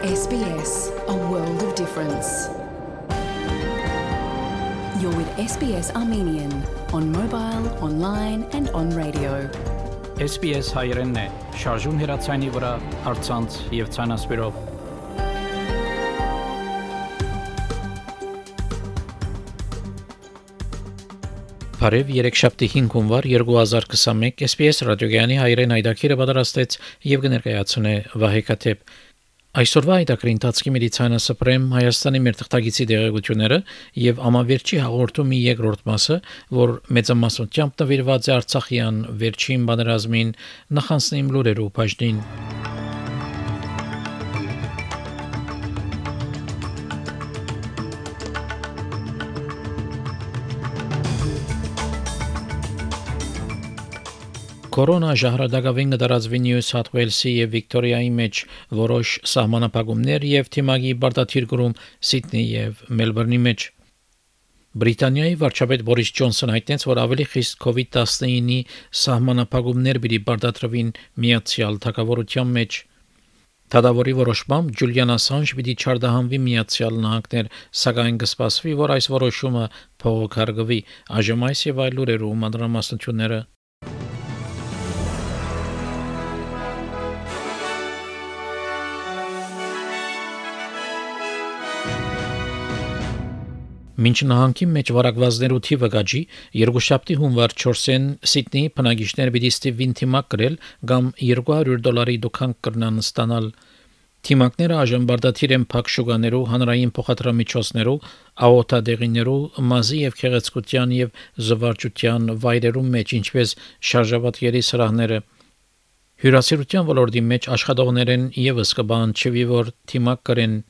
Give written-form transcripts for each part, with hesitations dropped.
SBS, a world of difference. You're with SBS Armenian on mobile, online and on radio. SBS հայերենն է, շարժուն հեռացանի վրա, առցանց եւ ցանասպիրով։ Բարև երեքշաբթի 5 հունվար 2021 SBS ռադիոգյանի հայերեն այդակիրը պատրաստեց եւ կներկայացնե Վահե Քաթեփ։ Այսօրվա այդակրի ընթացքի մեդիցինա Պրեմ Հայաստանի մեր թղթակիցի դերակցությունները եւ ամավերջի հաղորդումի երկրորդ մասը, որ մեծամասնությամբ նվիրված է Արցախյան վերջին բանրազմին, նախանցնիմ լուրերու բաժնին։ Կորոնա ժահրադակավին դարածվի Նյու Սաթ Ուելսի եւ Վիկտորիայի մեջ որոշ սահմանապահումներ եւ թիմակի բարդաթիր գրում Սիդնեի եւ Մելբուրնի մեջ։ Բրիտանիայի վարչապետ Բորիս Ջոնսոնը հայտնեց, որ ավելի խիստ COVID-19-ի սահմանապահումներ պիտի բարդատրվին Միացյալ Թագավորության մեջ։ Թադավորի որոշմամբ Ջուլիան Ասանժ պիտի չարդահանվի Միացյալ Նահանգներ, սակայն կսպասվի, որ այս որոշումը փողոքարկվի։ Այժմ այս եւ այլ լուրերու մանրամասնությունները Մինչ նահանգի մեջ վարակվածներու թիվը գաճի, երկուշաբթի հունվար 4-ին Սիդնեի բնակիչներ պիտի ստիպվին թիմակ կրել կամ $200 դուքան կրնան ստանալ։ Թիմակները այժմ բարդաթիր են փակ շուկաներու, հանրային փոխադրամիջոցներու, աղոթադեղիներու, մազի եւ քեղեցկության եւ զվարճության վայրերու մեջ, ինչպես շարժաբատների սրահները։ Հյուրասիրության ոլորտի մեջ աշխատողներեն եւս կբան չվի, որ թիմակ կրեն։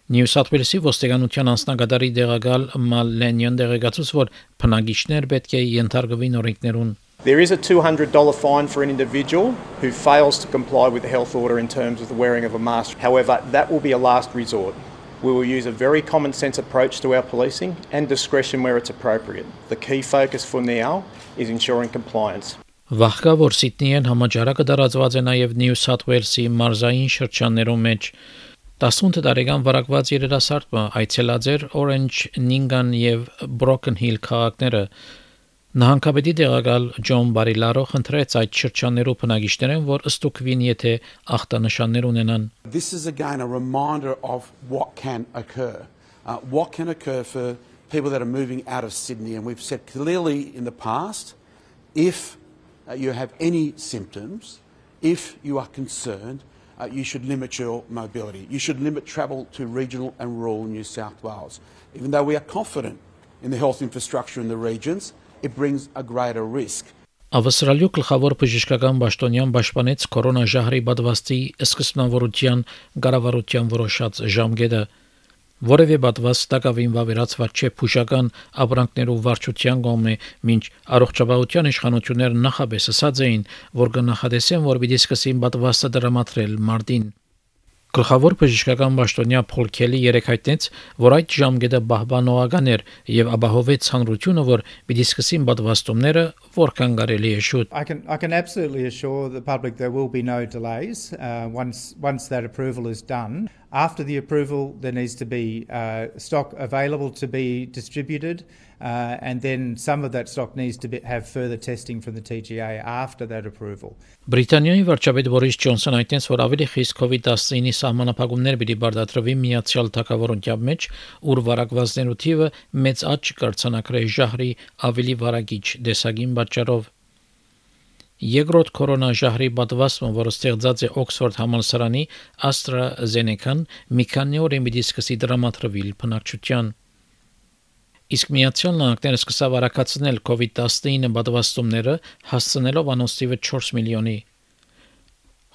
Նյու Սաթ Ուելսի ոստիկանության անձնակատարի դեղակալ Մալենյան դեղեկացուց, որ բնակիչներ պետք է ենթարկվին օրենքներուն։ There is a $200 fine for an individual who fails to comply with the health order in terms of the wearing of a mask. However, that will be a last resort. We will use a very common sense approach to our policing and discretion where it's appropriate. The key focus for now is ensuring compliance. Վաղկա որ Սիդնեին համաճարակը դարածված է նաև Նյու Սաթ Ուելսի մարզային շրջաններում մեջ 18 տարեկան վարակված երիտասարդը այցելած էր Orange, Ningan եւ Broken Hill քաղաքները։ Նահանգապետի դեղակալ Ջոն Բարիլարո խնդրեց այդ շրջաններու բնակիչներին, որ ըստուկվին, եթե ախտանշաններ ունենան։ This is again a reminder of what can occur. What can occur for people that are moving out of Sydney, and we've said clearly in the past, if you have any symptoms, if you are concerned, you should limit your mobility. You should limit travel to regional and rural New South Wales. Even though we are confident in the health infrastructure in the regions, it brings a greater risk. Ավստրալիու գլխավոր բժշկական պաշտոնյան պաշտպանեց կորոնա ժահրի պատվաստի սկզբնավորության կառավարության որոշած ժամկետը։ Որևէ պատվաստ տակավին վավերացված չէ փուշական ապրանքներու վարչության կողմէ, մինչ առողջապահության իշխանությունները նախապես ասած էին, որ կնախադեսեն, որ պիտի սկսին պատվաստը դրամատրել մարտին։ Գլխավոր բժշկական պաշտոնյա Փոլ Քելի երեկ հայտնեց, որ այդ ժամկետը պահպանողական էր եւ ապահովեց հանրությունը, որ պիտի սկսին պատվաստումները որքան կարելի է շուտ։ I can absolutely assure the public there will be no delays once that approval is done. After the approval, there needs to be stock available to be distributed, and then some of that stock needs to have further testing from the TGA after that approval. Բրիտանիայի վարչապետ Բորիս Ջոնսոնը հայտնեց, որ ավելի խիստ COVID-19-ի սահմանափակումներ պիտի բարդատրվի Միացյալ Թագավորության մեջ, ուր վարակվածներու թիվը մեծ աճ կրցանակրի ժահրի ավելի վարակիչ դեսագին պատճառով։ Երկրորդ կորոնա ժահրի պատվաստումը, որը ստեղծած է Օքսֆորդ համալսարանի AstraZeneca-ն, մի քանի օր պիտի սկսի դրամատրվել բնակչության։ Իսկ Միացյալ Նահանգները սկսավ արագացնել COVID-19 պատվաստումները, հասցնելով անոնց թիվը 4 միլիոնի։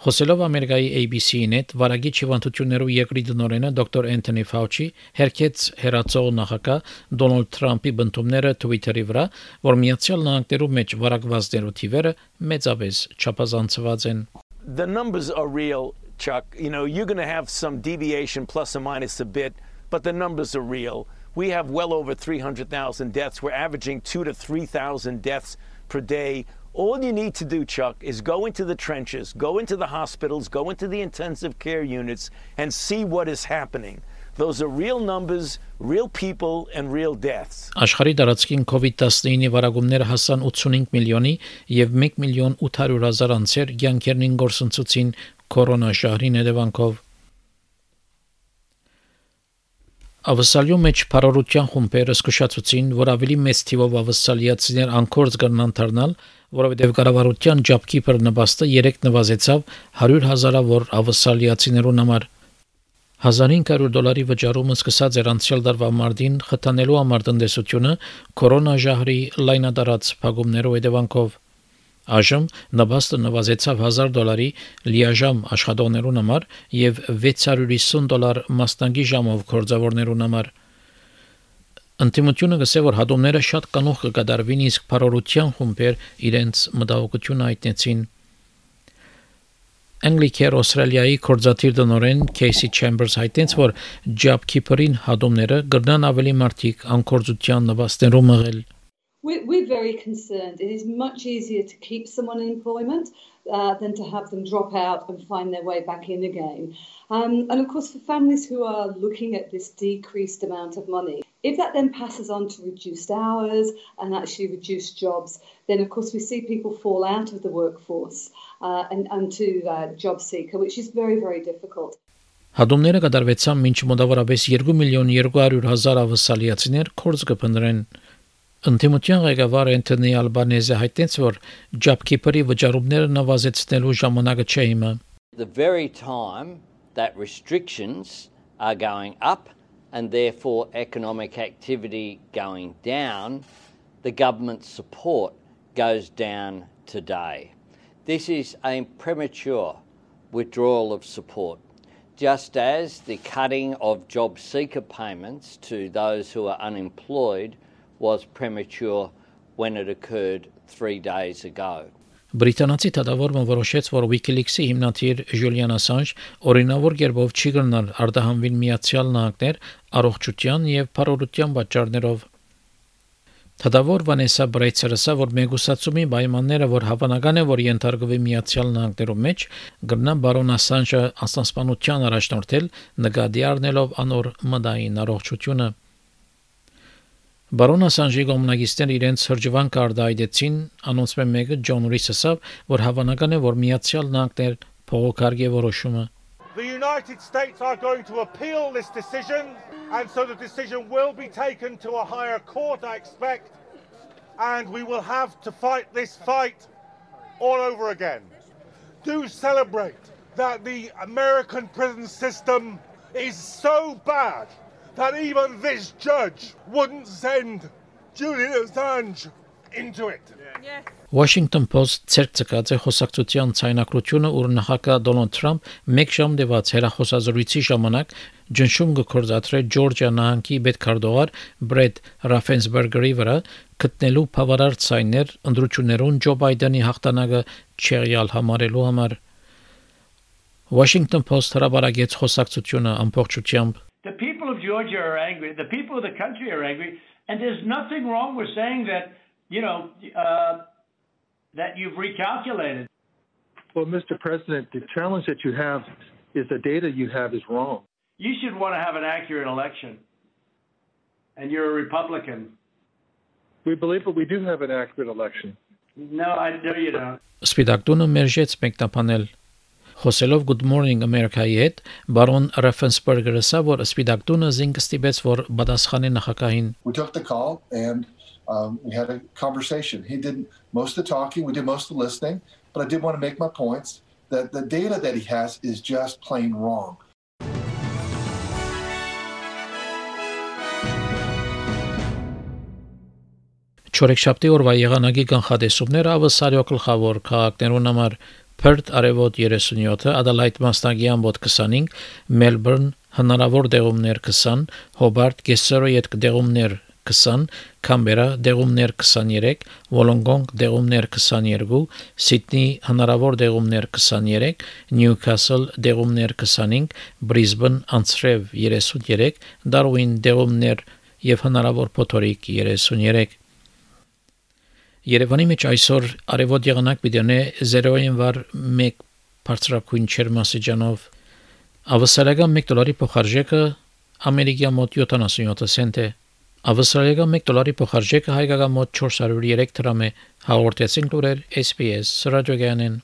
Խոսելով Ամերիկայի ABC-ին հետ վարակիչ հիվանդություններով երկրի տնօրենը դոկտոր Անթոնի Ֆաուչի հերքեց հերացող նախագահ Դոնալդ Թրամփի բնդումները Twitter-ի վրա, որ Միացյալ Նահանգներու մեջ վարակվածներու թիվերը մեծապես չափազանցված են։ The numbers are real, Chuck. You know, you're going to have some deviation plus or minus a bit, but the numbers are real. We have well over 300,000 deaths. We're averaging 2,000 to 3,000 deaths per day All you need to do, Chuck, is go into the trenches, go into the hospitals, go into the intensive care units, and see what is happening. Those are real numbers, real people, and real deaths. Աշխարհի տարածքին COVID-19-ի վարակումները հասան 85 միլիոնի եւ 1,800,000 անձեր կյանքերին գործընծուցին կորոնաշահրի հետևանքով։ Ավսալյո մեջ փարորության խումբերը զսկուշացուցին, որ ավելի մեծ թիվով ավսալիացիներ անկորձ կգնան դառնալ, որովհետև կառավարության ջապքիպր նպաստը 3 նվազեցավ 100,000-ավոր ավսալիացիներուն համար։ $1,500 վճարումը սկսած էր անցյալ տարվա մարտին խթանելու համար տնտեսությունը կորոնաժահրի լայնադարած փակումներով հետևանքով։ Այժմ նպաստը նվազեցավ $1,000 լիաժամ աշխատողներուն համար եւ $650 մասնագի ժամով գործավորներուն համար։ Ընտիմությունը գսե որ հատումները շատ կանող կկատարվին, իսկ փարորության խումբեր իրենց մտահոգությունը հայտնեցին։ Anglicare Australia-ի կորզաթիր տնօրեն Casey Chambers հայտնեց, որ JobKeeper-ին հատումները կգնան ավելի մարդիկ անկորձության նվաստներով մղել։ We're very concerned. It is much easier to keep someone in employment than to have them drop out and find their way back in again. And of course, for families who are looking at this decreased amount of money, if that then passes on to reduced hours and actually reduced jobs, then of course we see people fall out of the workforce and to job seeker, which is very, very difficult. Հատումները կատարվեցան մինչ մոտավորապես 2,200,000 ավսալիացիներ կորձ կփնտրեն։ Ընտիմության ղեկավար Անթոնի Ալբանեզը հայտնեց, որ JobKeeper-ի վճարումները նվազեցնելու ժամանակը չէ հիմա։ The very time that restrictions are going up and therefore economic activity going down, the government support goes down today. This is a premature withdrawal of support, just as the cutting of job seeker payments to those who are unemployed was premature when it occurred 3 days ago. Բրիտանացի դատավորը որոշեց, որ WikiLeaks-ի հիմնադիր Julian Assange օրինավոր կերպով չի կրնալ արտահանվել Միացյալ Նահանգներ առողջության եւ փարորության պատճառներով։ Դատավոր Վանեսա Բրեյցերը ասա, որ մեգուսացումի պայմանները, որ հավանական է, որ ենթարկվի Միացյալ Նահանգներում մեջ, կգնան բարոն Ասանժը անստասպանության առաջնորդել, նկատի առնելով անոր մտային առողջությունը։ Բարոն Ասանժի գոմնագիստները իրենց հրճվանք արդայդեցին, անոնցմեն մեկը Ջոն Ռիսը ասավ, որ հավանական է, որ Միացյալ Նահանգներ փողոքարգի որոշումը։ The United States are going to appeal this decision, and so the decision will be taken to a higher court, I expect, and we will have to fight this fight all over again. Do celebrate that the American prison system is so bad that even this judge wouldn't send Julian Assange into it. Yeah. Washington Post ցերկցած է խոսակցության ցայնակրությունը, ուր նախագահ Դոնալդ Թրամփ մեկ ժամ դեված հերախոսազրույցի ժամանակ ջնշում կգործադրե Ջորջիա նահանգի պետքարտուղար Բրեդ Ռաֆենսբերգերի վրա գտնելու բավարար ցայներ ընդրություններուն Ջո Բայդենի հաղթանակը չեղյալ համարելու համար։ Washington Post հրապարակեց խոսակցությունը ամբողջությամբ։ The people of Georgia are angry. The people of the country are angry. And there's nothing wrong with saying that, that you've recalculated. Well, Mr. President, the challenge that you have is the data you have is wrong. You should want to have an accurate election. And you're a Republican. We believe that we do have an accurate election. No, I know you don't. Սպիտակտունը մերժեց մեկնաբանել։ Խոսելով Good Morning America-ի հետ, բարոն Ռաֆենսբերգերը ասա, որ Սպիտակտունը զինք ստիպեց, որ պատասխանի նախագահին։ We took the call and we had a conversation. He did most of the talking, we did most of the listening, but I did want to make my points that the data that he has is just plain wrong. Չորեքշաբթի օրվա եղանակի կանխատեսումները ավսարյո գլխավոր քաղաքներուն համար Perth արևոտ 37, Adelaide մասնագի ամբոտ 25, Melbourne հնարավոր դեղումներ 20, Hobart կեսերոյետ դեղումներ 20, Canberra դեղումներ 23, Wollongong դեղումներ 22, Sydney հնարավոր դեղումներ 23, Newcastle դեղումներ 25, Brisbane անցրև 33, Darwin դեղումներ եւ հնարավոր փոթորիկ 33 Երևանի մեջ այսօր արևոտ եղանակ պիտի 0-ին վար 1 բարձրակույն ջերմաստիճանով ավստրալիական $1 փոխարժեքը ամերիկյան մոտ 77 سنت է ավստրալիական $1 փոխարժեքը հայկական մոտ 403 դրամ է հաղորդեցին լուրեր SPS ռադիոգյանեն